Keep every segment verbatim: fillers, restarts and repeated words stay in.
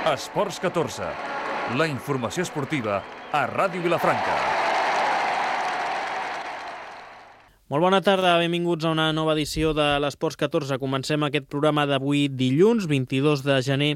Esports catorze, la informació esportiva a Ràdio Vilafranca. Molt bona tarda, benvinguts a una nova edició de l'Esports catorze. Comencem aquest programa d'avui dilluns, vint-i-dos de gener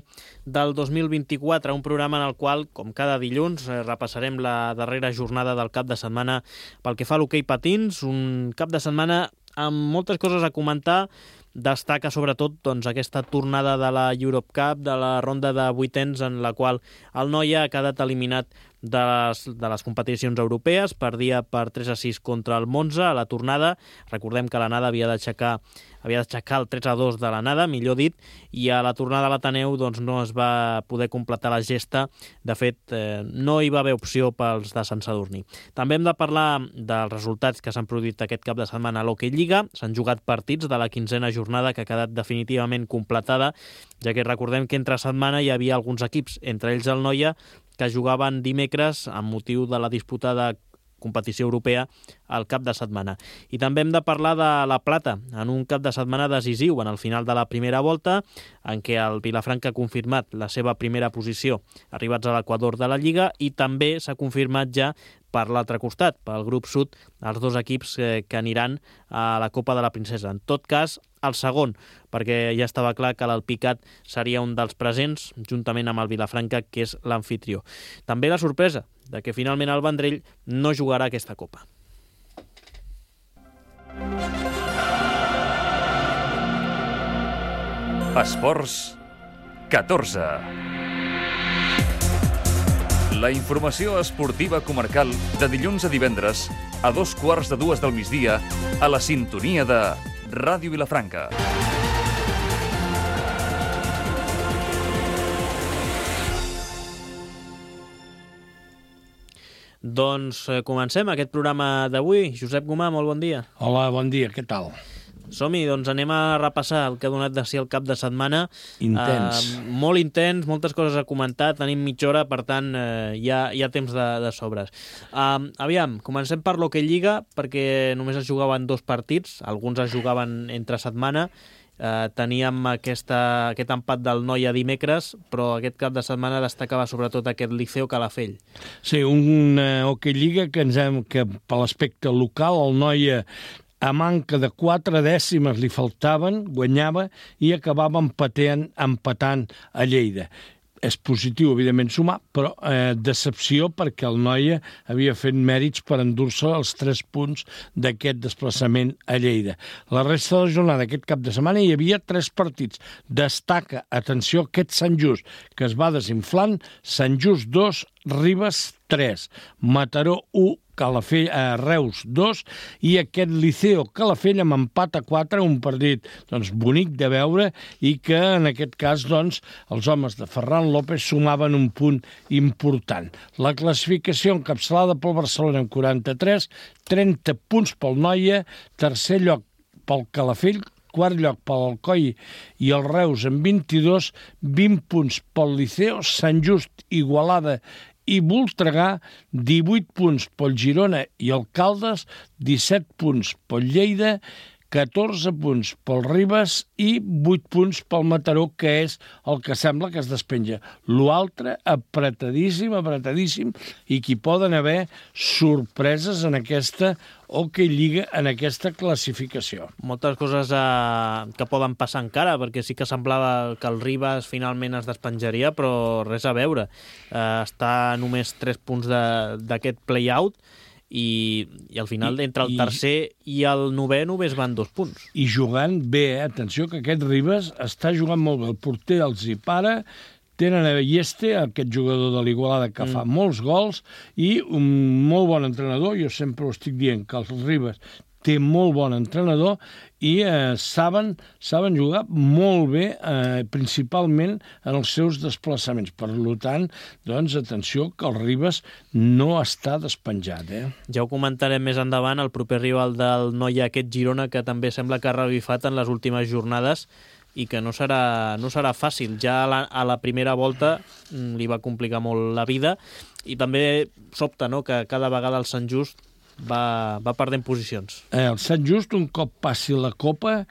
del dos mil vint-i-quatre, un programa en el qual, com cada dilluns, repassarem la darrera jornada del cap de setmana pel que fa a l'hoquei patins, un cap de setmana amb moltes coses a comentar. Destaca sobretot doncs, aquesta tornada de la Europe Cup, de la ronda de vuitens, en la qual el Noia ha quedat eliminat de les, de les competicions europees. Perdia per tres a sis contra el Monza a la tornada. Recordem que la Nada havia d'aixecar havia d'aixecar el tres a dos de la Nada, millor dit, i a la tornada a l'Ateneu doncs, no es va poder completar la gesta. De fet, eh, no hi va haver opció pels de Sant Sadurní. També hem de parlar dels resultats que s'han produït aquest cap de setmana a l'Hockey Lliga. S'han jugat partits de la quinzena jornada que ha quedat definitivament completada, ja que recordem que entre setmana hi havia alguns equips, entre ells el Noia, que jugaven dimecres amb motiu de la disputa de competició europea al cap de setmana. I també hem de parlar de la Plata, en un cap de setmana decisiu en el final de la primera volta, en què el Vilafranca ha confirmat la seva primera posició arribats a l'equador de la Lliga, i també s'ha confirmat ja per l'altre costat, pel grup sud, els dos equips eh, que aniran a la Copa de la Princesa. En tot cas, el segon, perquè ja estava clar que l'Alpicat seria un dels presents, juntament amb el Vilafranca, que és l'anfitrió. També la sorpresa de que finalment el Vendrell no jugarà aquesta Copa. Esports catorze. La informació esportiva comarcal de dilluns a divendres a dos quarts de dues del migdia a la sintonia de Ràdio Vilafranca. Doncs eh, comencem aquest programa d'avui. Josep Gomà, molt bon dia. Hola, bon dia, què tal? Som-hi, doncs anem a repassar el que ha donat de si el cap de setmana. Intens. Uh, molt intens, moltes coses a comentar, tenim mitja hora, per tant uh, hi, ha, hi ha temps de, de sobres. Uh, aviam, comencem per l'Hockey Lliga, perquè només es jugaven dos partits, alguns es jugaven entre setmana. Uh, teníem aquesta, aquest empat del Noia dimecres, però aquest cap de setmana destacava sobretot aquest Liceo Calafell. Sí, una Hockey Lliga que, ens hem, que per l'aspecte local el Noia, a manca de quatre dècimes li faltaven, guanyava i acabava empatant, empatant a Lleida. És positiu, evidentment, sumar, però eh, decepció perquè el Noia havia fet mèrits per endur-se els tres punts d'aquest desplaçament a Lleida. La resta de la jornada, aquest cap de setmana, hi havia tres partits. Destaca, atenció, aquest Sant Just, que es va desinflant, Sant Just dos, Ribes tres, Mataró u, Calafell, eh, Reus dos, i aquest Liceo Calafell amb empat a quatre, un partit doncs, bonic de veure, i que en aquest cas doncs, els homes de Ferran López sumaven un punt important. La classificació encapçalada pel Barcelona amb quaranta-tres, trenta punts pel Noia, tercer lloc pel Calafell, quart lloc pel Alcoi i el Reus amb vint-i-dos, vint punts pel Liceo, Sant Just, Igualada i Voltregà, divuit punts pel Girona i el Caldes, disset punts pel Lleida, catorze punts pel Ribes i vuit punts pel Mataró, que és el que sembla que es despenja. L'altre, apretadíssim, apretadíssim, i que hi poden haver sorpreses en aquesta Hockey Lliga, en aquesta classificació. Moltes coses eh, que poden passar encara, perquè sí que semblava que el Ribes finalment es despenjaria, però res a veure. Eh, està només tres punts d'aquest play-out, i, i al final I, entre el tercer i, i el novè només van dos punts. I jugant bé, eh? Atenció que aquest Ribes està jugant molt bé, el porter els hi para, tenen a Balleste, aquest jugador de l'Igualada que mm. fa molts gols, i un molt bon entrenador. Jo sempre ho estic dient, que els Ribes té molt bon entrenador i eh, saben, saben jugar molt bé, eh, principalment en els seus desplaçaments. Per tant, doncs, atenció, que el Ribes no està despenjat. Eh? Ja ho comentarem més endavant, el proper rival del Noia, aquest Girona, que també sembla que ha revifat en les últimes jornades i que no serà, no serà fàcil. Ja a la, a la primera volta li va complicar molt la vida, i també sobta, no?, que cada vegada el Sant Just va, va perdent posicions. Eh, el Sant Just, un cop passi la Copa,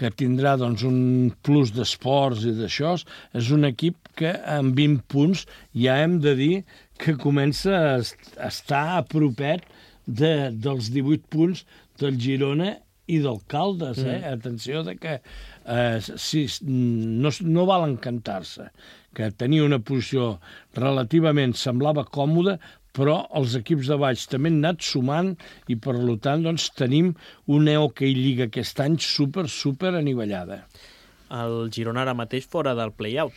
que tindrà doncs, un plus d'esports i d'això, és un equip que amb vint punts ja hem de dir que comença a estar a propet de, dels divuit punts del Girona i del Caldes. Eh? Mm. Atenció de que eh, si, no, no val encantar-se, que tenia una posició relativament semblava còmoda, però els equips de baix també han anat sumant i, per tant, doncs, tenim una Hockey Lliga aquest any super, super anivellada. El Girona ara mateix fora del play-out,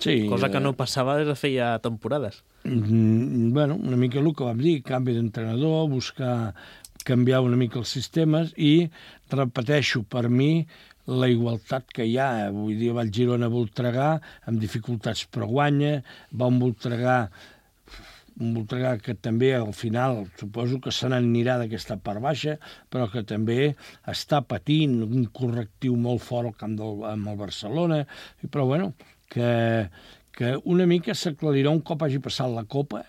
sí, cosa que no passava des de feia temporades. Mm, bueno, una mica el que vam dir, canvi d'entrenador, buscar canviar una mica els sistemes i, repeteixo, per mi, la igualtat que hi ha. Vull dir, va el Girona a Voltregà, amb dificultats però guanya, va un Voltregà un Voltregà que també al final suposo que se n'anirà d'aquesta part baixa, però que també està patint un correctiu molt fort al camp del, amb el Barcelona, però bueno, que, que una mica s'aclarirà un cop hagi passat la Copa,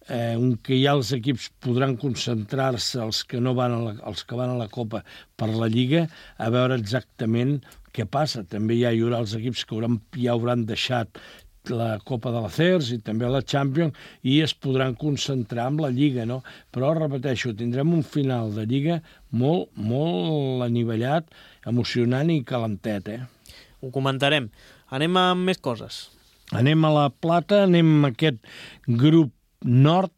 eh, un que ja els equips podran concentrar-se, els que no van a la, els que van a la Copa per la Lliga, a veure exactament què passa. També ja hi haurà els equips que hauran, ja hauran deixat la Copa de la C E R S i també la Champions i es podran concentrar en la Lliga, no? Però, repeteixo, tindrem un final de Lliga molt, molt anivellat, emocionant i calentet, eh? Ho comentarem. Anem amb més coses. Anem a la Plata, anem a aquest grup nord,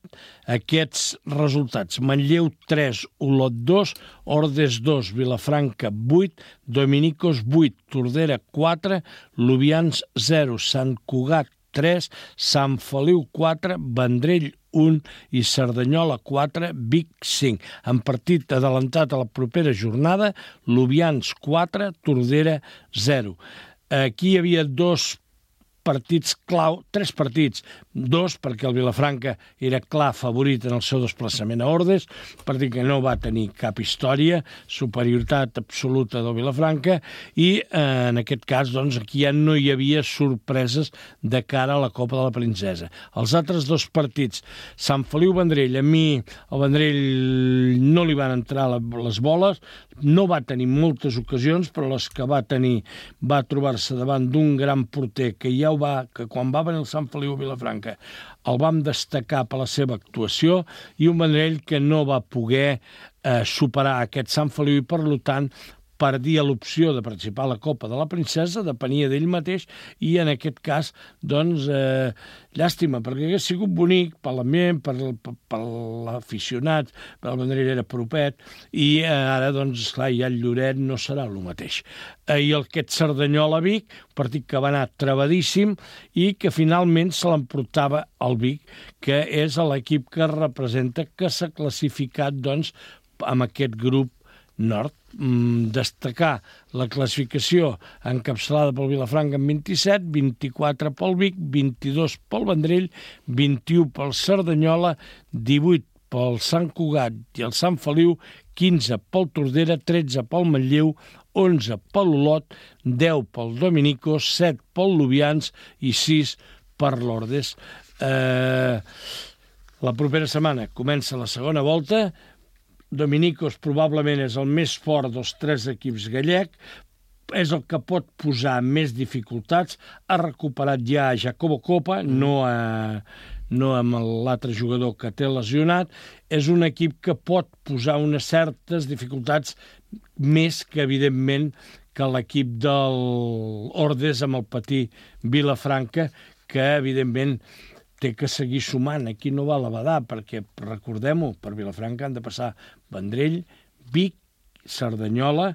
aquests resultats: Manlleu tres, Olot dos, Ordes dos, Vilafranca vuit, Dominicos vuit, Tordera quatre, Lubians zero, Sant Cugat tres, Sant Feliu quatre, Vendrell un i Cerdanyola quatre, Vic cinc. En partit adelantat a la propera jornada, Lubians quatre, Tordera zero. Aquí hi havia dos partits clau, tres partits, dos perquè el Vilafranca era clar favorit en el seu desplaçament a Ordes, partit que no va tenir cap història, superioritat absoluta del Vilafranca, i eh, en aquest cas doncs, aquí ja no hi havia sorpreses de cara a la Copa de la Princesa. Els altres dos partits, Sant Feliu-Vendrell, a mi el Vendrell no li van entrar les boles, no va tenir moltes ocasions, però les que va tenir va trobar-se davant d'un gran porter que ja ho va, que quan va venir el Sant Feliu a Vilafranca el vam destacar per la seva actuació, i un Vendrell que no va poder eh, superar aquest Sant Feliu i, per tant, perdia l'opció de participar a la Copa de la Princesa, depenia d'ell mateix, i en aquest cas, doncs, eh, llàstima, perquè hagués sigut bonic per l'ambient, per, per, per l'aficionat, el Vendrell era propet, i eh, ara, doncs, esclar, ja el Lloret no serà el mateix. Eh, I el aquest Cerdanyola-Vic, un partit que va anar trebadíssim i que finalment se l'emportava el Vic, que és l'equip que representa, que s'ha classificat, doncs, amb aquest grup nord. Mm, destacar la classificació encapçalada pel Vilafranca amb vint-i-set, vint-i-quatre pel Vic, vint-i-dos pel Vendrell, vint-i-u pel Cerdanyola, divuit pel Sant Cugat i el Sant Feliu, quinze pel Tordera, tretze pel Manlleu, onze pel Olot, deu pel Dominicos, set pel Lubians i sis per l'Ordes. Eh, la propera setmana comença la segona volta. Dominicos probablement és el més fort dels tres equips gallec, és el que pot posar més dificultats. Ha recuperat ja a Jacobo Copa, no, a, no amb l'altre jugador que té lesionat. És un equip que pot posar unes certes dificultats més que, evidentment, que l'equip del Ordes amb el patí Vilafranca, que, evidentment, té que seguir sumant. Aquí no val a badar, perquè, recordem-ho, per Vilafranca han de passar Vendrell, Vic, Cerdanyola,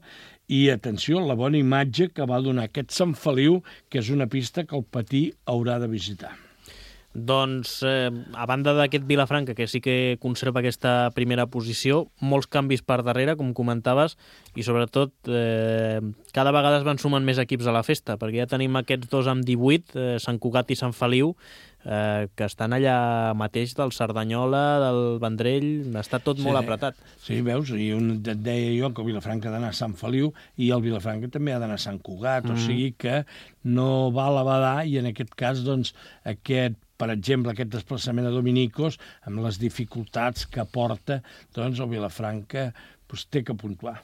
i, atenció, la bona imatge que va donar aquest Sant Feliu, que és una pista que el Patí haurà de visitar. Doncs, eh, a banda d'aquest Vilafranca, que sí que conserva aquesta primera posició, molts canvis per darrere, com comentaves, i sobretot eh, cada vegada es van sumant més equips a la festa, perquè ja tenim aquests dos amb divuit, eh, Sant Cugat i Sant Feliu, eh, que estan allà mateix del Cerdanyola, del Vendrell, està tot sí, molt apretat. Sí, veus, i un, et deia jo que el Vilafranca ha d'anar a Sant Feliu i el Vilafranca també ha d'anar a Sant Cugat, mm. o sigui que no val a badar, i en aquest cas, doncs, aquest per exemple, aquest desplaçament a Dominicos, amb les dificultats que porta, doncs el Vilafranca doncs, té que puntuar.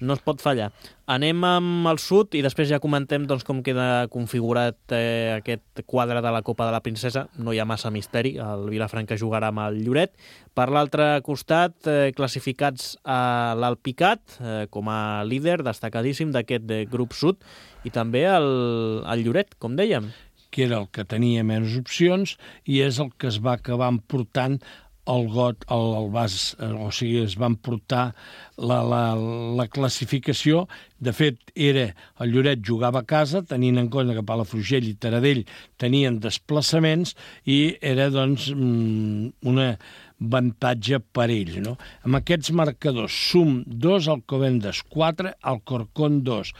no es pot fallar. Anem amb el sud i després ja comentem doncs, com queda configurat eh, aquest quadre de la Copa de la Princesa. No hi ha massa misteri, el Vilafranca jugarà amb el Lloret. Per l'altre costat, eh, classificats a l'Alpicat eh, com a líder destacadíssim d'aquest eh, grup sud i també el, el Lloret, com dèiem. Que era el que tenia menys opcions i és el que es va acabar emportant el got, el, el vas, o sigui, es van portar la, la, la classificació. De fet, era el Lloret jugava a casa, tenint en compte que Palafrugell i Taradell tenien desplaçaments i era, doncs, una avantatge per ell, no? Amb aquests marcadors, Sum dos, Alcobendas quatre, Alcorcón dos,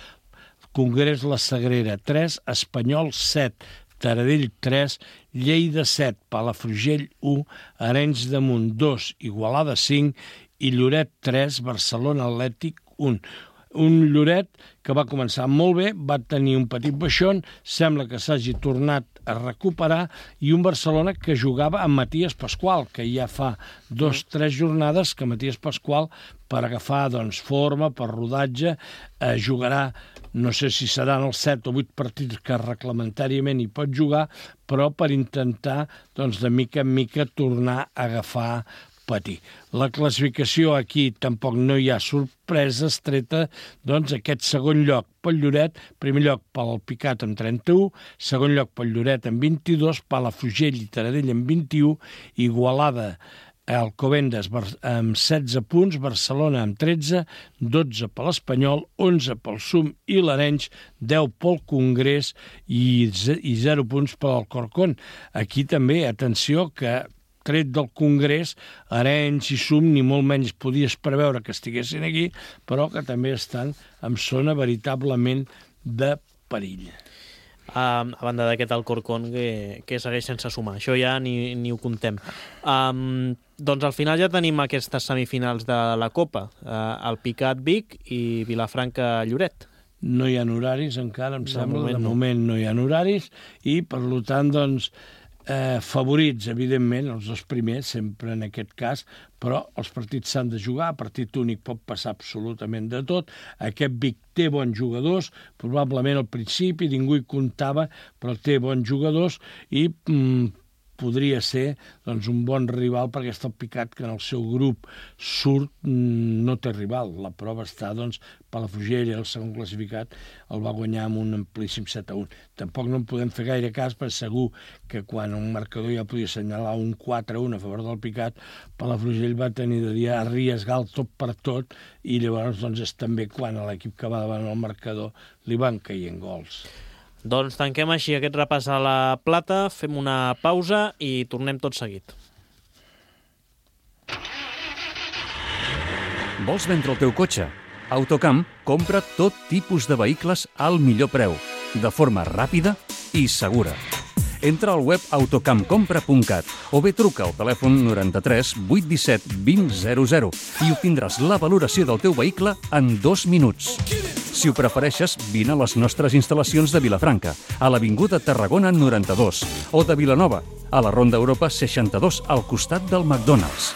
Congrés La Sagrera tres, Espanyol set, Taradell tres, Lleida set, Palafrugell u, Arenys de Munt dos, Igualada cinc i Lloret tres, Barcelona Atlètic un. Un Lloret que va començar molt bé, va tenir un petit baixón, sembla que s'hagi tornat a recuperar, i un Barcelona que jugava amb Matías Pasqual, que ja fa dos o tres jornades que Matías Pasqual, per agafar doncs, forma, per rodatge, eh, jugarà, no sé si seran els set o vuit partits que reglamentàriament hi pot jugar, però per intentar, doncs, de mica en mica tornar a agafar patir. La classificació aquí tampoc no hi ha sorpreses, treta doncs aquest segon lloc pel Lloret, primer lloc pel Alpicat amb trenta-u, segon lloc pel Lloret amb vint-i-dos, Palafrugell i Taradell amb vint-i-u, Igualada, Alcobendas amb setze punts, Barcelona amb tretze, dotze per l'Espanyol, onze pel Sum i l'Arenys, deu pel Congrés i zero punts per l'Alcorcón. Aquí també, atenció, que tret del Congrés, Arenys i Sum ni molt menys podies preveure que estiguessin aquí, però que també estan en zona veritablement de perill. Uh, a banda d'aquest Alcorcón que, que segueix sense sumar. Això ja ni, ni ho contem. Um, doncs al final ja tenim aquestes semifinals de la Copa. Uh, Alpicat Vic i Vilafranca Lloret. No hi ha horaris encara, em sembla. moment De no. moment no hi ha horaris i, per tant, doncs, Eh, favorits, evidentment, els dos primers, sempre en aquest cas, però els partits s'han de jugar, partit únic pot passar absolutament de tot. Aquest Vic té bons jugadors, probablement al principi ningú hi comptava, però té bons jugadors i mm, podria ser doncs, un bon rival per aquest Alpicat que en el seu grup surt mm, no té rival. La prova està, doncs, Palafrugell, el segon classificat, el va guanyar amb un amplíssim set a un. Tampoc no en podem fer gaire cas, perquè segur que quan un marcador ja podia assenyalar un quatre a un a favor del Picat, Palafrugell va tenir de dir arriesgar el tot per tot i llavors doncs, és també quan a l'equip que va davant el marcador li van caient gols. Doncs tanquem així aquest repàs a la Plata, fem una pausa i tornem tot seguit. Vols vendre el teu cotxe? Autocamp compra tot tipus de vehicles al millor preu, de forma ràpida i segura. Entra al web autocampcompra punt cat o bé truca al telèfon noranta-tres vuit disset vint zero zero i obtindràs la valoració del teu vehicle en dos minuts. Si ho prefereixes, vine a les nostres instal·lacions de Vilafranca, a l'Avinguda Tarragona noranta-dos, o de Vilanova, a la Ronda Europa seixanta-dos, al costat del McDonald's.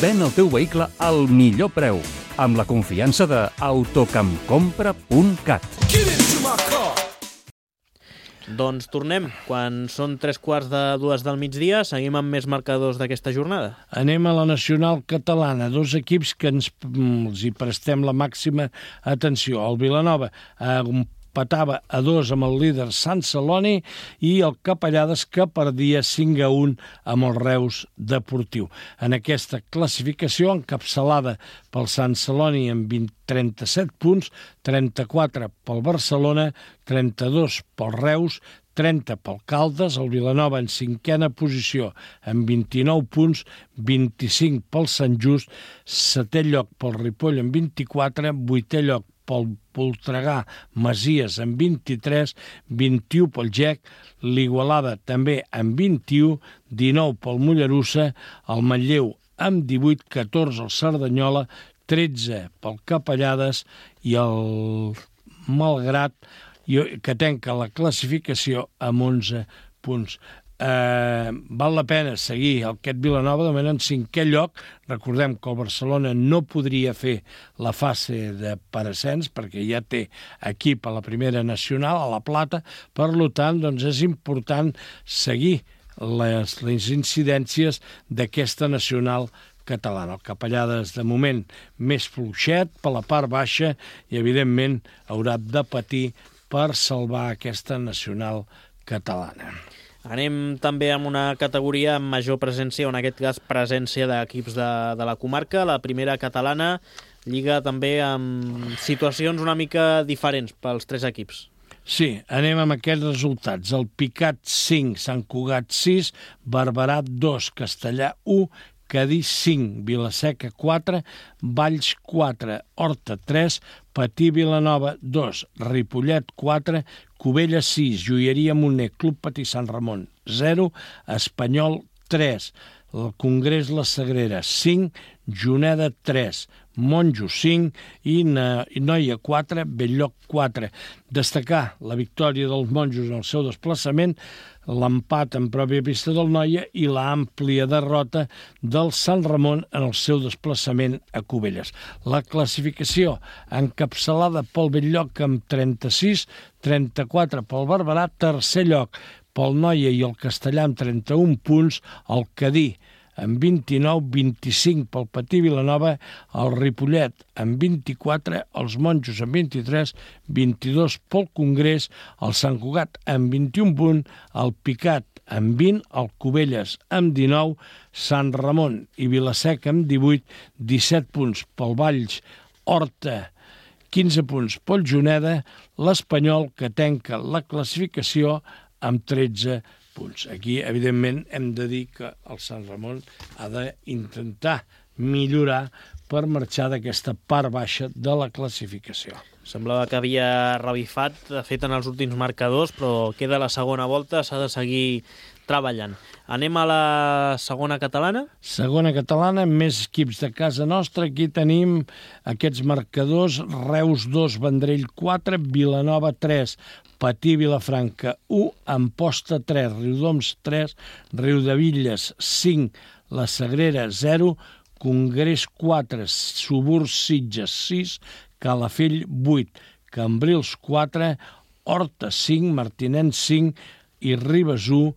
Ven el teu vehicle al millor preu, amb la confiança de autocampcompra punt cat. Doncs tornem. Quan són tres quarts de dues del migdia, seguim amb més marcadors d'aquesta jornada. Anem a la nacional catalana, dos equips que ens, els hi prestem la màxima atenció. El Vilanova empatava a dos amb el líder Sant Celoni i el Capellades que perdia cinc a un amb el Reus Deportiu. En aquesta classificació, encapçalada pel Sant Celoni amb vint, trenta-set punts, trenta-quatre pel Barcelona, trenta-dos pel Reus, trenta pel Caldes, el Vilanova en cinquena posició amb vint-i-nou punts, vint-i-cinc pel Sant Just, setè lloc pel Ripoll amb vint-i-quatre, vuitè lloc pel Voltregà Masies amb vint-i-tres, vint-i-u pel Gec, l'Igualada també amb vint-i-u, dinou pel Mollerussa, el Manlleu amb divuit, catorze el Cerdanyola, tretze pel Capellades i el Malgrat, que tanca la classificació amb onze punts. Eh, val la pena seguir el Aquest Vilanova, de moment en cinquè lloc. Recordem que el Barcelona no podria fer la fase de per ascens perquè ja té equip a la primera nacional, a la Plata. Per tant, doncs és important seguir les, les incidències d'aquesta nacional catalana. El Capellades, de moment, més fluixet per la part baixa i, evidentment, haurà de patir per salvar aquesta nacional catalana. Anem també amb una categoria amb major presència, o en aquest cas presència d'equips de, de la comarca. La primera catalana lliga també amb situacions una mica diferents pels tres equips. Sí, anem amb aquests resultats. El Picat cinc, Sant Cugat sis, Barberà dos, Castellà u, Cadí cinc, Vilaseca quatre, Valls quatre, Horta tres, Patí Vilanova dos, Ripollet quatre, Cubelles sis, Joieria Moner, Club Patí Sant Ramon zero, Espanyol tres, el Congrés La Sagrera cinc, Juneda tres, Monjo cinc i Noia quatre, Belllloc quatre. Destacar la victòria dels monjos en el seu desplaçament, l'empat en pròpia pista del Noia i l'àmplia derrota del Sant Ramon en el seu desplaçament a Cubelles. La classificació encapçalada pel Belllloc amb trenta-sis, trenta-quatre pel Barberà, tercer lloc pel Noia i el Castellà amb trenta-un punts, el Cadí amb vint-i-nou, vint-i-cinc pel Patí Vilanova, el Ripollet amb vint-i-quatre, els Monjos amb vint-i-tres, vint-i-dos pel Congrés, el Sant Cugat amb vint-i-un punts, el Picat amb vint, el Cubelles amb dinou, Sant Ramon i Vilaseca amb divuit, disset punts pel Valls, Horta, quinze punts pel Juneda, l'Espanyol, que tanca la classificació amb tretze punts. Aquí, evidentment, hem de dir que el Sant Ramon ha d'intentar millorar per marxar d'aquesta part baixa de la classificació. Semblava que havia revifat, de fet, en els últims marcadors, però queda la segona volta, s'ha de seguir treballant. Anem a la segona catalana? Segona catalana, més equips de casa nostra. Aquí tenim aquests marcadors: Reus dos, Vendrell quatre, Vilanova tres, Patí Vilafranca u, Amposta tres, Riudoms tres, Riudevilles cinc, La Sagrera zero, Congrés quatre, Suburs Sitges sis, Calafell vuit, Cambrils quatre, Horta cinc, Martinenc cinc i Ribes u,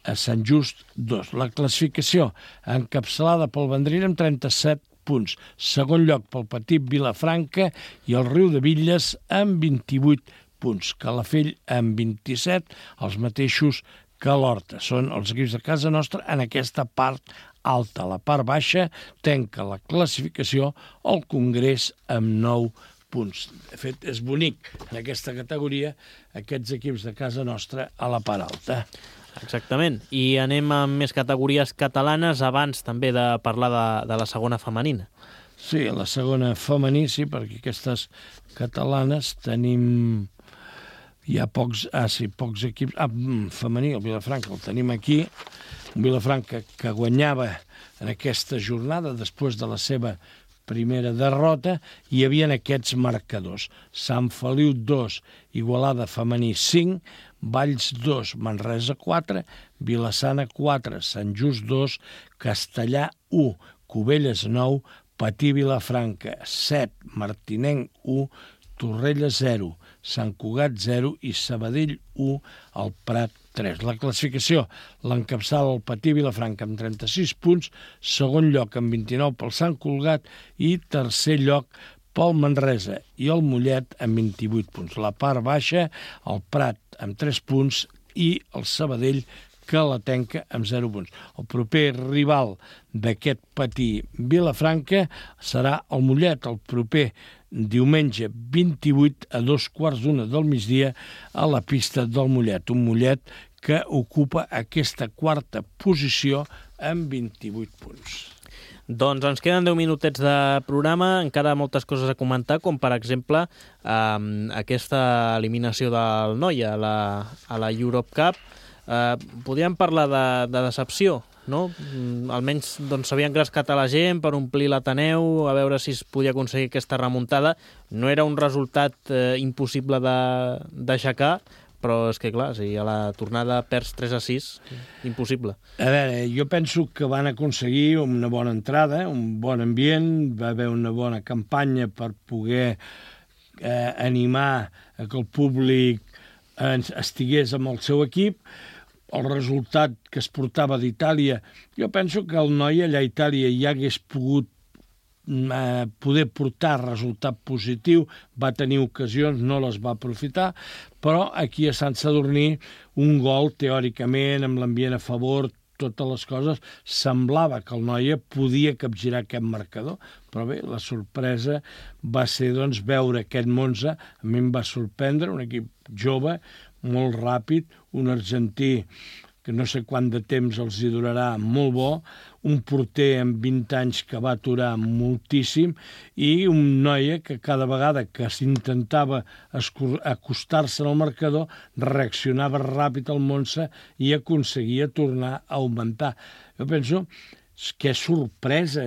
a Sant Just dos. La classificació encapçalada pel Vendrell amb trenta-set punts. Segon lloc pel Petit Vilafranca i el Riudevilles amb vint-i-vuit punts. Calafell amb vint-i-set, els mateixos que l'Horta. Són els equips de casa nostra en aquesta part alta. La part baixa tanca la classificació al Congrés amb nou punts. De fet, és bonic en aquesta categoria aquests equips de casa nostra a la part alta. Exactament. I anem amb més categories catalanes abans també de parlar de, de la segona femenina. Sí, la segona femení, sí, perquè aquestes catalanes tenim... Hi ha pocs, ah, sí, pocs equips... Ah, femení, el Vilafranca, el tenim aquí. Un Vilafranca que guanyava en aquesta jornada després de la seva primera derrota. Hi havia aquests marcadors: Sant Feliu dos, Igualada femení cinc, Valls dos, Manresa quatre, Vilassana quatre, Sant Just dos, Castellà u, Cubelles nou, Patí Vilafranca set, Martinenc u, Torrella zero, Sant Cugat zero i Sabadell u, el Prat tres. La classificació l'encapçala el Patí Vilafranca amb trenta-sis punts, segon lloc amb vint-i-nou pel Sant Cugat i tercer lloc pel Manresa i el Mollet amb vint-i-vuit punts. La part baixa, el Prat amb tres punts i el Sabadell, que la tanca amb zero punts. El proper rival d'aquest Patí Vilafranca serà el Mollet, el proper diumenge vint-i-vuit a dos quarts d'una del migdia a la pista del Mollet. Un Mollet que ocupa aquesta quarta posició amb vint-i-vuit punts. Doncs ens queden deu minutets de programa, encara moltes coses a comentar, com per exemple eh, aquesta eliminació del Noia a la, a la Europe Cup. Eh, podríem parlar de, de decepció, no? Almenys doncs, s'havia engrescat a la gent per omplir l'Ateneu, a veure si es podia aconseguir aquesta remuntada. No era un resultat eh, impossible de, d'aixecar, però és que clar, si a la tornada perds tres a sis, impossible. A veure, jo penso que van aconseguir una bona entrada, un bon ambient, va haver una bona campanya per poder eh, animar a que el públic eh, estigués amb el seu equip. El resultat que es portava d'Itàlia, jo penso que el noi allà a Itàlia ja hagués pogut eh, poder portar resultat positiu, va tenir ocasions, no les va aprofitar, però aquí a Sant Sadurní un gol, teòricament, amb l'ambient a favor, totes les coses, semblava que el Noia podia capgirar aquest marcador, però bé, la sorpresa va ser doncs, veure aquest Monza, a mi em va sorprendre, un equip jove, molt ràpid, un argentí que no sé quant de temps els hi durarà, molt bo, un porter amb vint anys que va aturar moltíssim i un noia que cada vegada que s'intentava acostar-se al marcador reaccionava ràpid al Monza i aconseguia tornar a augmentar. Jo penso que és sorpresa,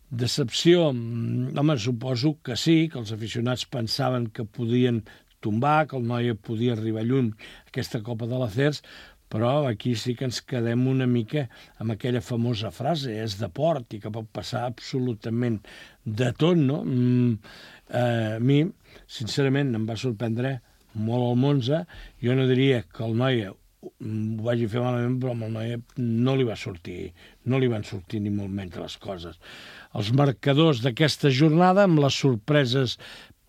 decepció. Home, suposo que sí, que els aficionats pensaven que podien tombar, que el Noia podia arribar lluny a aquesta Copa de l'Acers, però aquí sí que ens quedem una mica amb aquella famosa frase, és de port i que pot passar absolutament de tot, no? Mm, eh, a mi, sincerament, em va sorprendre molt el Monza. Jo no diria que el Noia ho vagi fer malament, però amb el Noia no li va sortir, no li van sortir ni molt menys les coses. Els marcadors d'aquesta jornada, amb les sorpreses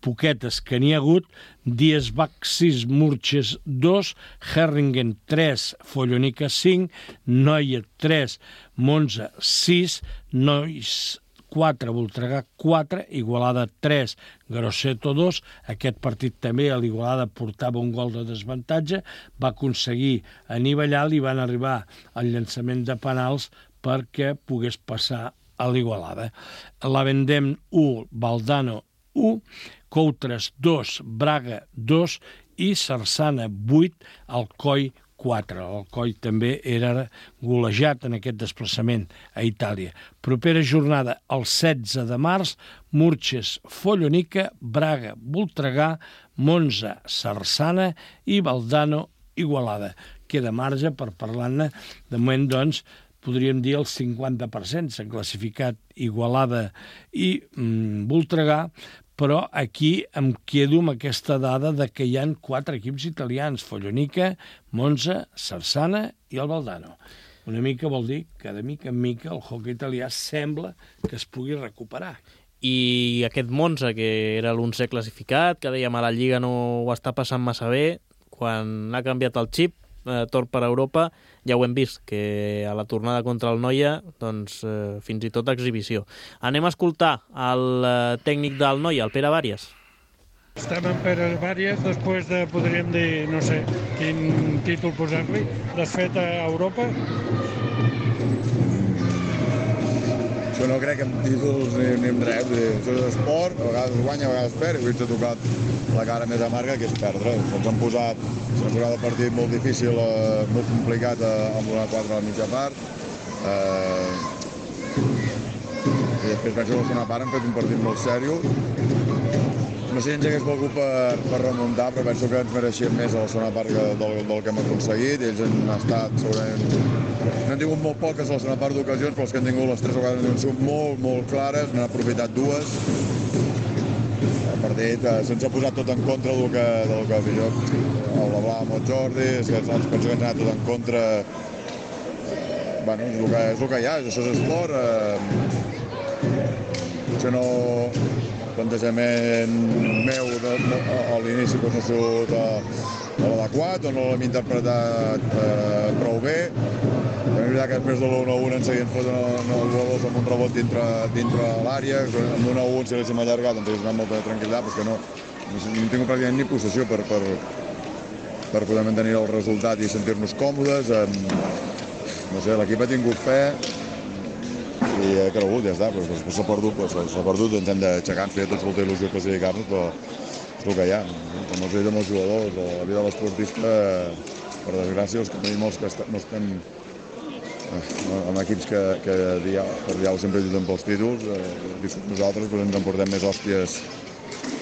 poquetes que n'hi ha hagut, Diesbach sis, Murches dos, Herringen tres, Follonica cinc, Noia tres, Monza sis, Nois quatre, Voltregà quatre, Igualada tres, Grosseto dos. Aquest partit també a l'Igualada portava un gol de desavantatge, va aconseguir anivellar, li van arribar al llançament de penals perquè pogués passar a l'Igualada. La Vendem u, Valdano u, Coutres dos, Braga dos i Sarsana vuit, Alcoi quatre. L'Alcoi també era golejat en aquest desplaçament a Itàlia. Propera jornada, el setze de març, Murches, Follonica, Braga, Voltregà, Monza, Sarsana i Valdano, Igualada. Queda marge per parlar-ne. De moment, doncs, podríem dir el cinquanta per cent. S'han classificat Igualada i mm, Voltregà, però aquí em quedo amb aquesta dada de que hi ha quatre equips italians, Follonica, Monza, Sarsana i el Valdano. Una mica vol dir que de mica en mica el hockey italià sembla que es pugui recuperar. I aquest Monza, que era l'onzè classificat, que dèiem a la Lliga no ho està passant massa bé, quan ha canviat el xip, eh, torn per Europa, ja ho hem vist, que a la tornada contra el Noia, doncs, eh, fins i tot exhibició. Anem a escoltar el eh, tècnic del Noia, el Pere Vàries. Estem en Pere Vàries després de, podríem dir, no sé, quin títol posar-li, desfet a Europa. Jo no crec en títols ni, ni en res, això és esport, a vegades guanya, a vegades perd, i avui ens ha tocat la cara més amarga, que és perdre. Ens han posat, ens han posat el partit molt difícil, eh, molt complicat eh, amb una quatre a la mitja part. Eh, I després penso que la segona part han fet un partit molt sèrio. No sé si ens hagués volgut per, per remuntar, però penso que ens mereixíem més a la segona part del, del que hem aconseguit. Ells han estat segurament... No han tingut molt poques a la segona part d'ocasions, però els que han tingut les tres vegades han sigut molt, molt clares, n'han aprofitat dues. El partit eh, se'ns ha posat tot en contra del que, del que jo el Bla amb el Jordi, és que penso que ens ha anat tot en contra. Eh, bueno, és el, que, és el que hi ha, això és esport. Eh, això no... El plantejament meu de, de, a l'inici doncs, no ha sigut eh, l'adequat o no l'hem interpretat eh, prou bé. És veritat que després de l'u a u ens seguien fotent els gols amb un rebot dintre, dintre l'àrea. Amb l'u a u si l'haguéssim allargat ens hagués donat molta tranquil·litat, perquè no, no hem tingut pràcticament ni possessió per, per, per poder mantenir el resultat i sentir-nos còmodes. Eh, no sé, l'equip ha tingut fe i ha cregut, ja està, però després s'ha perdut, s'ha perdut, ens hem d'aixecar, ens feia tots molta il·lusió classificar-nos, però és el que hi ha. Com els he dit amb els jugadors, a la vida de l'esportista, per desgràcia, els que tenim molts que no estem amb equips que, que diau, per diau sempre lluiten pels títols, eh, nosaltres doncs, ens emportem més hòsties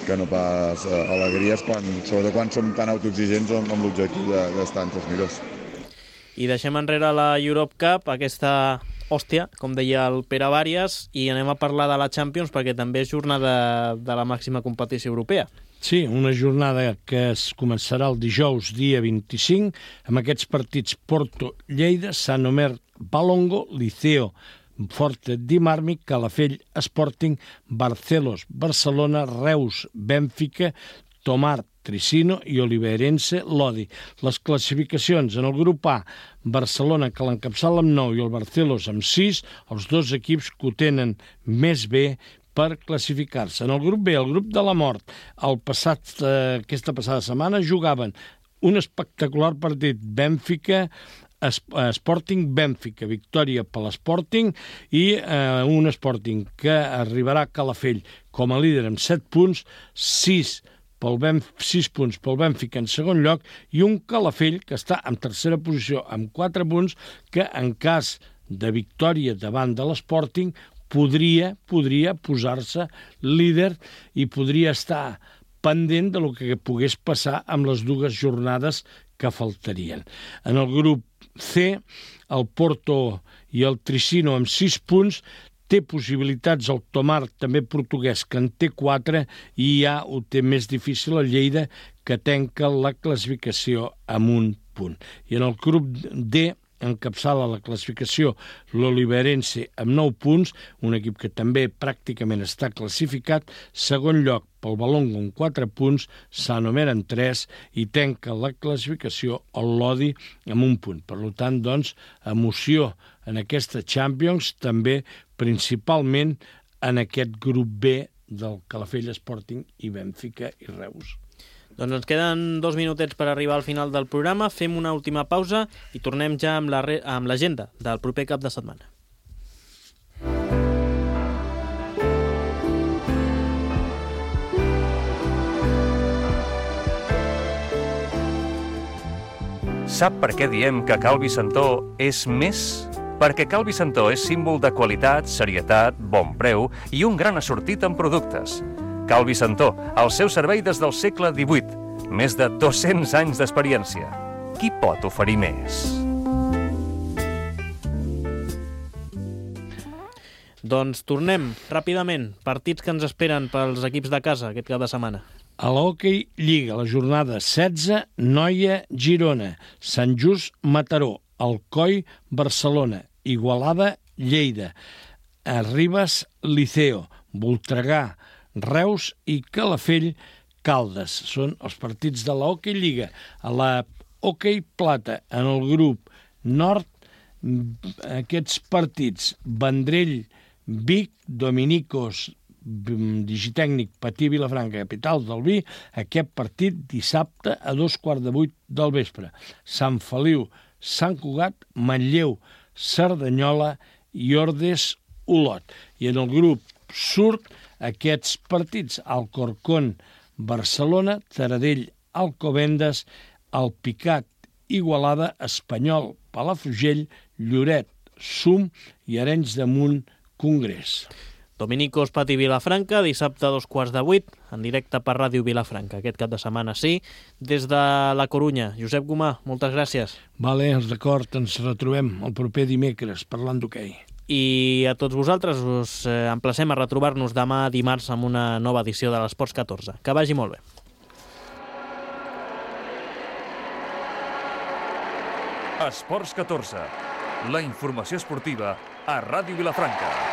que no pas eh, alegries, quan, sobretot quan som tan autoexigents amb, amb l'objectiu d'estar entre els millors. I deixem enrere la Europe Cup, aquesta hòstia, com deia el Pere Vàries, i anem a parlar de la Champions perquè també és jornada de la màxima competició europea. Sí, una jornada que es començarà el dijous, dia vint-i-cinc, amb aquests partits Porto-Lleida, Sant Omer, Valongo, Liceo, Forte di Marmi, Calafell, Sporting, Barcelos, Barcelona, Reus, Bènfica, Tomar, Tricino i Oliveirense, Lodi. Les classificacions en el grup A, Barcelona, que l'encapçala amb nou, i el Barcelos amb sis, els dos equips que ho tenen més bé per classificar-se. En el grup B, el grup de la mort, el passat, eh, aquesta passada setmana jugaven un espectacular partit Bènfica, Sporting Bènfica, victòria per l'Sporting i eh, un Sporting que arribarà a Calafell com a líder amb set punts, sis pel Benf- sis punts pel Bènfica en segon lloc i un Calafell que està en tercera posició amb quatre punts que en cas de victòria davant de l'Sporting podria, podria posar-se líder i podria estar pendent de lo que pogués passar amb les dues jornades que faltarien. En el grup C, el Porto i el Tricino amb sis punts, té possibilitats el Tomar, també portuguès, que en té quatre, i ja ho té més difícil el Lleida, que tanca la classificació amb un punt. I en el grup D, encapçala la classificació l'Oliveirense amb nou punts, un equip que també pràcticament està classificat, segon lloc pel Valongo amb quatre punts, Sant Omer amb tres i tanca la classificació el Lodi amb un punt. Per tant, doncs, emoció en aquesta Champions, també principalment en aquest grup B del Calafell, Sporting i Bènfica i Reus. Doncs ens queden dos minutets per arribar al final del programa, fem una última pausa i tornem ja amb la re- amb l'agenda del proper cap de setmana. Sap per què diem que Cal Vicentó és més? Perquè Cal Vicentó és símbol de qualitat, serietat, bon preu i un gran assortit en productes. Cal Vicentó, al seu servei des del segle divuit, més de dos-cents anys d'experiència. Qui pot oferir més? Doncs tornem ràpidament. Partits que ens esperen pels equips de casa aquest cap de setmana. A l'Hockey Lliga, la jornada setze, Noia, Girona, Sant Just, Mataró, Alcoi, Barcelona, Igualada, Lleida, Ribes, Liceo, Voltregà, Reus i Calafell, Caldes. Són els partits de la Hockey Lliga. A la Hockey Plata, en el grup nord, aquests partits, Vendrell, Vic, Dominicos, Digitècnic, Patí, Vilafranca, capital del vi, aquest partit dissabte a dos quarts de vuit del vespre. Sant Feliu, Sant Cugat, Manlleu, Cerdanyola i Ordes, Olot. I en el grup sud, aquests partits, Alcorcón, Barcelona, Taradell, Alcobendas, Alpicat, Igualada, Espanyol, Palafrugell, Lloret, Sum i Arenys de Munt, Congrés. Dominicos, Patí, Vilafranca, dissabte a dos quarts de vuit, en directe per Ràdio Vilafranca. Aquest cap de setmana sí, des de la Corunya. Josep Gomà, moltes gràcies. Vale, d'acord, ens retrobem el proper dimecres parlant d'hoquei. I a tots vosaltres us eh, emplacem a retrobar-nos demà dimarts amb una nova edició de l'Esports catorze. Que vagi molt bé. Esports catorze, la informació esportiva a Ràdio Vilafranca.